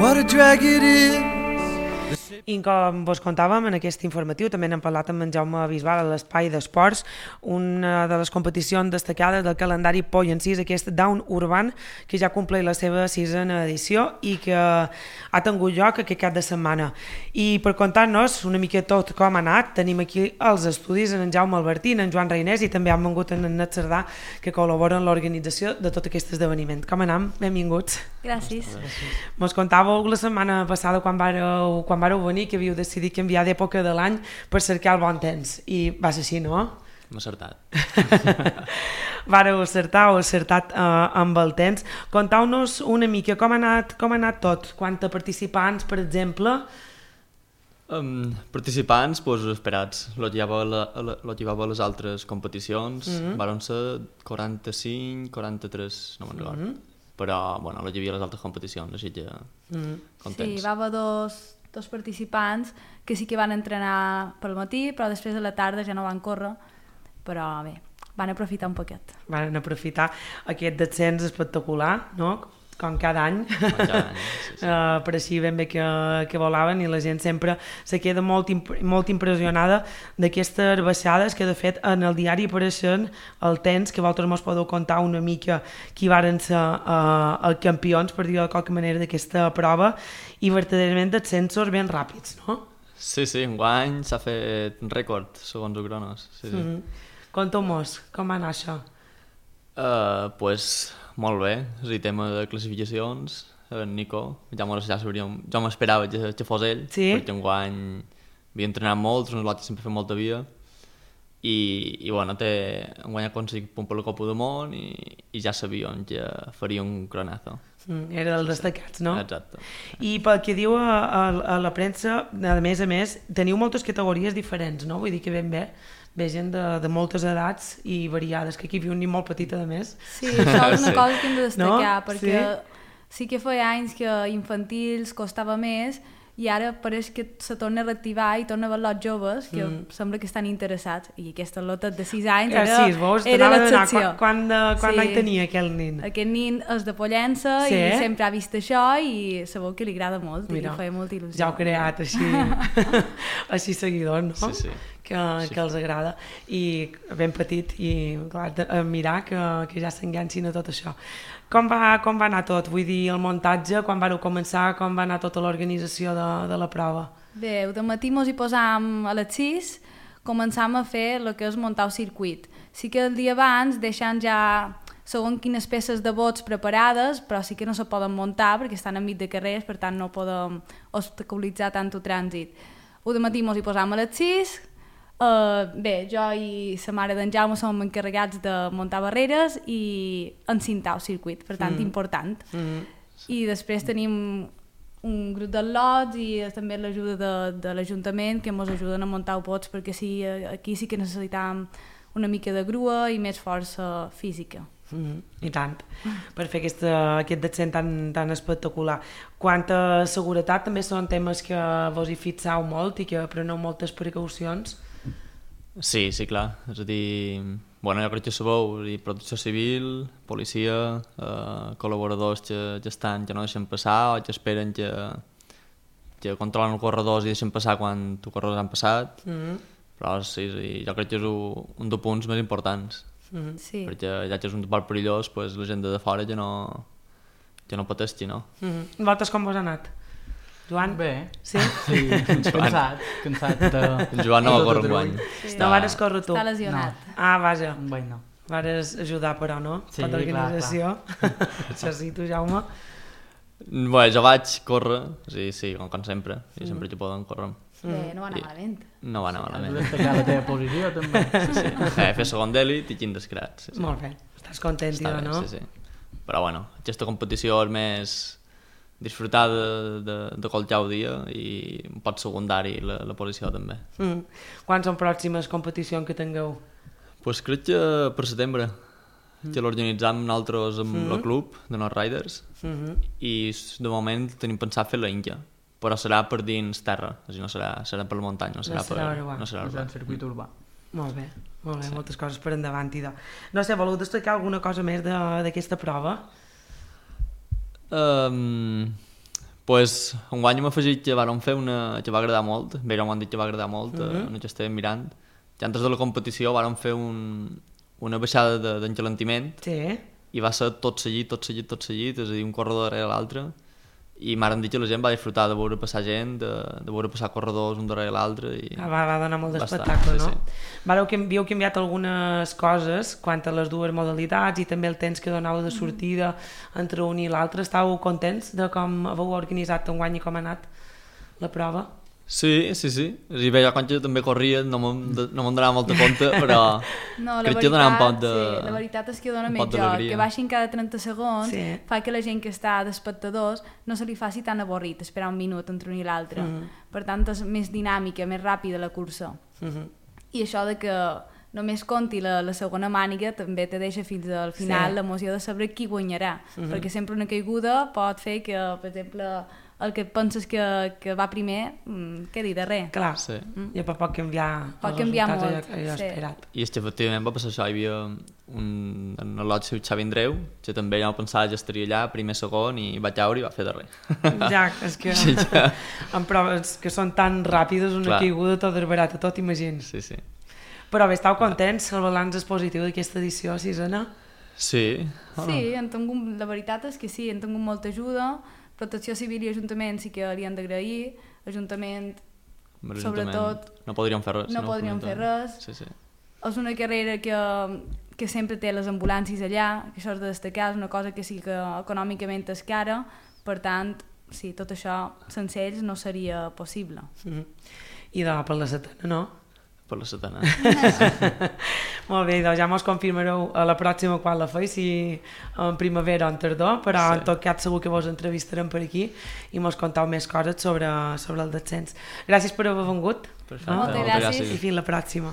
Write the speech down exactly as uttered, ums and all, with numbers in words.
what a drag it is. I com vos contàvem en aquest informatiu, també n'hem parlat amb en Jaume Bisbal a l'Espai d'Esports, una de les competicions destacades del calendari Poll en sis, aquest Down Urban, que ja compleix la seva sisena edició i que ha tingut lloc aquest cap de setmana. I per contar-nos una mica tot com ha anat, tenim aquí els estudis en Jaume Albertí, en Joan Reinés, i també han vengut en Net Cerdà, que col·laboren en l'organització de tot aquest esdeveniment. Com anam? Benvinguts. Gràcies. Mos contàveu la setmana passada quan vareu, quan vareu venir que havíeu decidit canviar d'època de l'any per cercar el bon temps, i va ser així, no? Hem acertat. Vareu acertar o acertat uh, amb el temps. Contau-nos una mica com ha anat, com ha anat tot, quants participants, per exemple. Um, participants, doncs, esperats. Lo llevava a les altres competicions, mm-hmm. Varen ser quaranta-cinc, quaranta-tres, no me'n recordo. Mm-hmm. Però, bueno, lo llevia a les altres competicions, així que mm-hmm. contents. Sí, va haver dos, dos participants que sí que van entrenar pel matí, però després de la tarda ja no van córrer, però bé, van aprofitar un poquet. Van aprofitar aquest descens espectacular, no?, com cada any, cada any sí, sí. Uh, per així ben bé que, que volaven, i la gent sempre se queda molt, imp molt impressionada d'aquestes baixades, que de fet en el diari apareixen el temps, que vosaltres mos podeu contar una mica qui varen ser uh, els campions, per dir-ho de qualque manera, d'aquesta prova, i verdaderament descensos ben ràpids, no? Sí, sí, enguany s'ha fet un rècord, segons el Cronos. Sí, sí. Mm-hmm. Conta'm-mos, com va anar això? Uh, pues, molt bé, és a dir, tema de classificacions, en Nico, ja, ja sabríem, jo m'esperava que, que fos ell, sí? Perquè enguany havia entrenat molt, nosaltres sempre fem molta via, i, i bueno, té, enguany ha aconseguit punt per la Copa del Món, i, i ja sabíem que faria un cronazo. Mm, era dels destacats, no? Exacte. I pel que diu a, a, a la premsa, a més a més, teniu moltes categories diferents, no? Vull dir que ben bé, ve gent de, de moltes edats i variades, que aquí viu un nen molt petit, a més. Sí, això és una Sí. cosa que hem de destacar, No? perquè Sí? sí que feia anys que infantils costava més, i ara pareix que se torna a reactivar i torna a veure els joves que Mm. sembla que estan interessats, i aquesta lota de sis anys Eh, era, sí, vos era t'anava a donar l'excepció. quan, quan, de, quan Sí. any tenia aquell nen? Aquest nin és de Pollença, Sí? i sempre ha vist això i sabeu que li agrada molt. Mira, i li feia molta il·lusió. ja heu creat així, així seguidors, no? Sí, sí. Que, que els agrada, i ben petit, i clar, de, a mirar que, que ja s'enganxin a tot això. Com va, com va anar tot? Vull dir, el muntatge, quan vareu començar, com va anar tota l'organització de, de la prova? Bé, de matí mos hi posàvem a les sis, començàvem a fer el que és muntar el circuit. Sí que el dia abans deixant ja segons quines peces de bots preparades, però sí que no se poden muntar perquè estan enmig de carrers, per tant no podem obstaculitzar tant el trànsit. O de matí mos hi posàvem a les sis, Uh, bé, jo i la mare d'en Jaume som encarregats de muntar barreres i encintar el circuit, per tant, mm. important. Mm. I després tenim un grup de lots i també l'ajuda de, de l'Ajuntament, que ens ajuden a muntar bots, perquè sí, aquí sí que necessitàvem una mica de grua i més força física. Mm, I tant, per fer aquesta, aquest descent tan, tan espectacular. Quant a seguretat, també són temes que vos hi fixeu molt i que preneu moltes precaucions. Sí, sí, clar. És a dir, bueno, jo crec que sabeu, dir, protecció civil, policia, eh, col·laboradors que, que estan, que no deixen passar o que esperen que, que controlen els corredors i deixen passar quan els corredors han passat. Mm-hmm. Però sí, sí, jo crec que és un, un dels punts més importants. Mm-hmm. Sí. Perquè ja que és un part perillós, pues, la gent de fora ja no, ja no pateixi, no? Mm-hmm. Vosaltres com vos ha anat? Joan? Bé. Sí? Sí, cansat, cansat de... El Joan no va córrer enguany. Sí. No vares córrer tu? Està lesionat. No. Ah, vaja. Enguany no. Vares ajudar, però, no? Sí, per l'organització. Això sí, tu, Jaume. Bé, jo vaig córrer, sí, sí, com, com sempre, i sempre que poden córrer. Bé, no va anar I- malament. No va anar Has de malament. destacar la teva posició, també. Sí, sí. Eh, fer segon d'èlit i quin descrat. Sí, sí. Molt bé. Estàs content, Està tio, bé, no? sí, sí. Però bueno, aquesta competició és més disfrutar de, de, de qualsevol dia i un pot secundari la, la posició també. Mm. Quan són pròximes competicions que tingueu? Pues crec que per setembre, que l'organitzam nosaltres amb Mm. el club de North Riders Mm-hmm. i de moment tenim pensat fer la Inca, però serà per dins terra, és a dir, no serà, serà per la muntanya, no serà, No serà per, urbà. no serà És urbà. un circuit urbà. Molt bé, molt bé, sí. Moltes coses per endavant, idò. No sé, voleu destacar alguna cosa més de- d'aquesta prova? Um, Pues, enguany hem afegit que vàrem fer una que va agradar molt, bé, ja m'ho han dit que va agradar molt, Mhm. uh -huh. que estàvem mirant. Ja antes de la competició vàrem fer un, una baixada de- d'engelantiment Sí. i va ser tot seguit, tot seguit, tot seguit, és a dir, un corredor darrere l'altre, i m'han dit que la gent va disfrutar de veure passar gent, de, de veure passar corredors un darrere l'altre. I... Ah, va, va donar molt Bastant, d'espectacle, sí, no? sí. Vareu, que havíeu canviat algunes coses quant a les dues modalitats i també el temps que donava de sortida entre un i l'altre. Estàveu contents de com haveu organitzat enguany i com ha anat la prova? Sí, sí, sí. És a dir, bé, jo quan jo també corria no me'n no me'n donava molta compte, però No, la crec que donava un veritat, poc de... sí, la veritat és que dona un més pot joc, d'alegria. que baixin cada trenta segons, Sí. fa que la gent que està d'espectadors no se li faci tan avorrit esperar un minut entre un i l'altre. Mhm. Per tant, és més dinàmica, més ràpida la cursa. Mhm. I això de que només conti la, la segona màniga també te deixa fins al final Sí. l'emoció de saber qui guanyarà, Mhm. perquè sempre una caiguda pot fer que, per exemple, el que penses que, que va primer mm, quedi darrer. Clar, Sí. i pot canviar Pot els canviar resultats molt, allò, allò sí. esperat. I és que efectivament va passar això, hi havia un, en el lot seu Xavi Andreu, que també ja pensava que estaria allà, primer, segon, i va caure i va fer darrer. Ja, és que Sí, ja. en proves que són tan ràpides, una Clar. caiguda tot desbarat a tot, imagins. Sí, sí. Però bé, estàu contents, el balanç és positiu d'aquesta edició sisena? Sí. Sí, hem tingut, la veritat és que sí, hem tingut molta ajuda, Protecció Civil i Ajuntament sí que li han d'agrair, Ajuntament Amb l'Ajuntament sobretot no podríem fer res. no si podríem fos fer l'Ajuntament. res. Sí, sí. és una carrera que, que sempre té les ambulàncies allà, que això és de destacar, és una cosa que sí que econòmicament és cara, per tant, sí, tot això sense ells no seria possible. Mm. I de per la setena, no? Per la setena. Molt bé, doncs ja mos confirmareu a la pròxima quan la feu, si en primavera o en tardor, però Sí. en tot cas segur que vos entrevistarem per aquí i mos contau més coses sobre, sobre el descens. Gràcies per haver vengut. Perfecte. No? Moltes gràcies. I fins la pròxima.